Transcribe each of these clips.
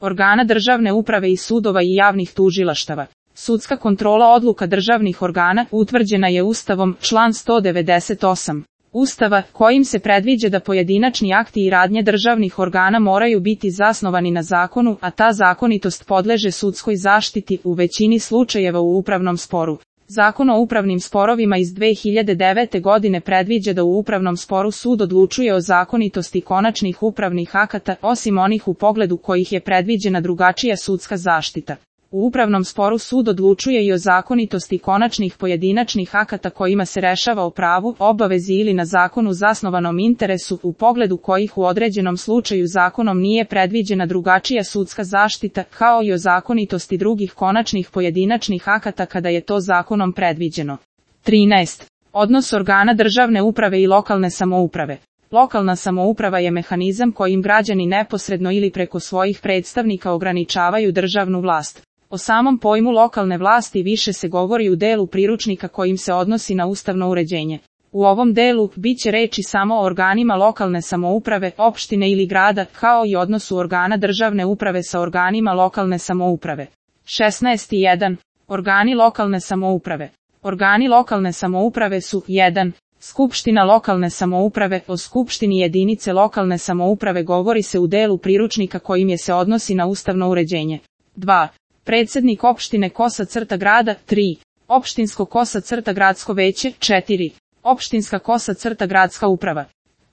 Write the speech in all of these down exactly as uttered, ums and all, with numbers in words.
organa državne uprave i sudova i javnih tužilaštava. Sudska kontrola odluka državnih organa utvrđena je Ustavom, član sto devedeset osam. Ustava, kojim se predviđa da pojedinačni akti i radnje državnih organa moraju biti zasnovani na zakonu, a ta zakonitost podleže sudskoj zaštiti u većini slučajeva u upravnom sporu. Zakon o upravnim sporovima iz dve hiljade devete. godine predviđa da u upravnom sporu sud odlučuje o zakonitosti konačnih upravnih akata, osim onih u pogledu kojih je predviđena drugačija sudska zaštita. U upravnom sporu sud odlučuje i o zakonitosti konačnih pojedinačnih akata kojima se rešava o pravu, obavezi ili na zakonu zasnovanom interesu, u pogledu kojih u određenom slučaju zakonom nije predviđena drugačija sudska zaštita, kao i o zakonitosti drugih konačnih pojedinačnih akata kada je to zakonom predviđeno. trinaest. Odnos organa državne uprave i lokalne samouprave. Lokalna samouprava je mehanizam kojim građani neposredno ili preko svojih predstavnika ograničavaju državnu vlast. O samom pojmu lokalne vlasti više se govori u delu priručnika kojim se odnosi na ustavno uređenje. U ovom delu bit će reči samo o organima lokalne samouprave, opštine ili grada, kao i odnosu organa državne uprave sa organima lokalne samouprave. šesnaest jedan. Organi lokalne samouprave. Organi lokalne samouprave su jedan. Skupština lokalne samouprave. O skupštini jedinice lokalne samouprave govori se u delu priručnika kojim je se odnosi na ustavno uređenje. dva. Predsednik opštine kosa crta grada, tri. Opštinsko kosa crta gradsko veće, četiri. Opštinska kosa crta gradska uprava.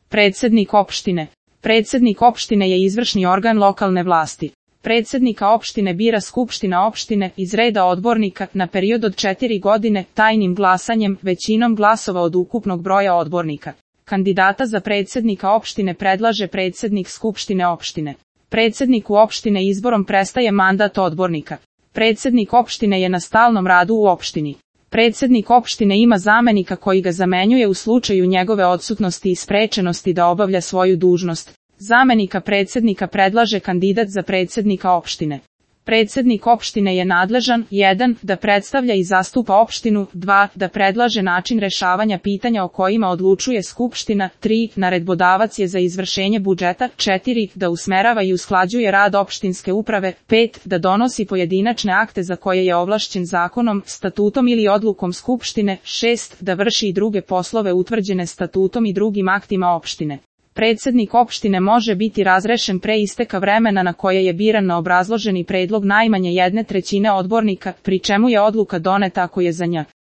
Predsednik opštine. Predsednik opštine je izvršni organ lokalne vlasti. Predsednika opštine bira skupština opštine iz reda odbornika na period od četiri godine tajnim glasanjem većinom glasova od ukupnog broja odbornika. Kandidata za predsednika opštine predlaže predsednik skupštine opštine. Predsedniku opštine izborom prestaje mandat odbornika. Predsednik opštine je na stalnom radu u opštini. Predsednik opštine ima zamenika koji ga zamenjuje u slučaju njegove odsutnosti i sprečenosti da obavlja svoju dužnost. Zamenika predsednika predlaže kandidat za predsednika opštine. Predsednik opštine je nadležan, jedan. Da predstavlja i zastupa opštinu, dva. Da predlaže način rešavanja pitanja o kojima odlučuje skupština, tri. Naredbodavac je za izvršenje budžeta, četiri. Da usmerava i usklađuje rad opštinske uprave, pet. Da donosi pojedinačne akte za koje je ovlašćen zakonom, statutom ili odlukom skupštine, šest. Da vrši i druge poslove utvrđene statutom i drugim aktima opštine. Predsednik opštine može biti razrešen pre isteka vremena na koje je biran na obrazloženi predlog najmanje jedne trećine odbornika, pri čemu je odluka doneta ako je za nj.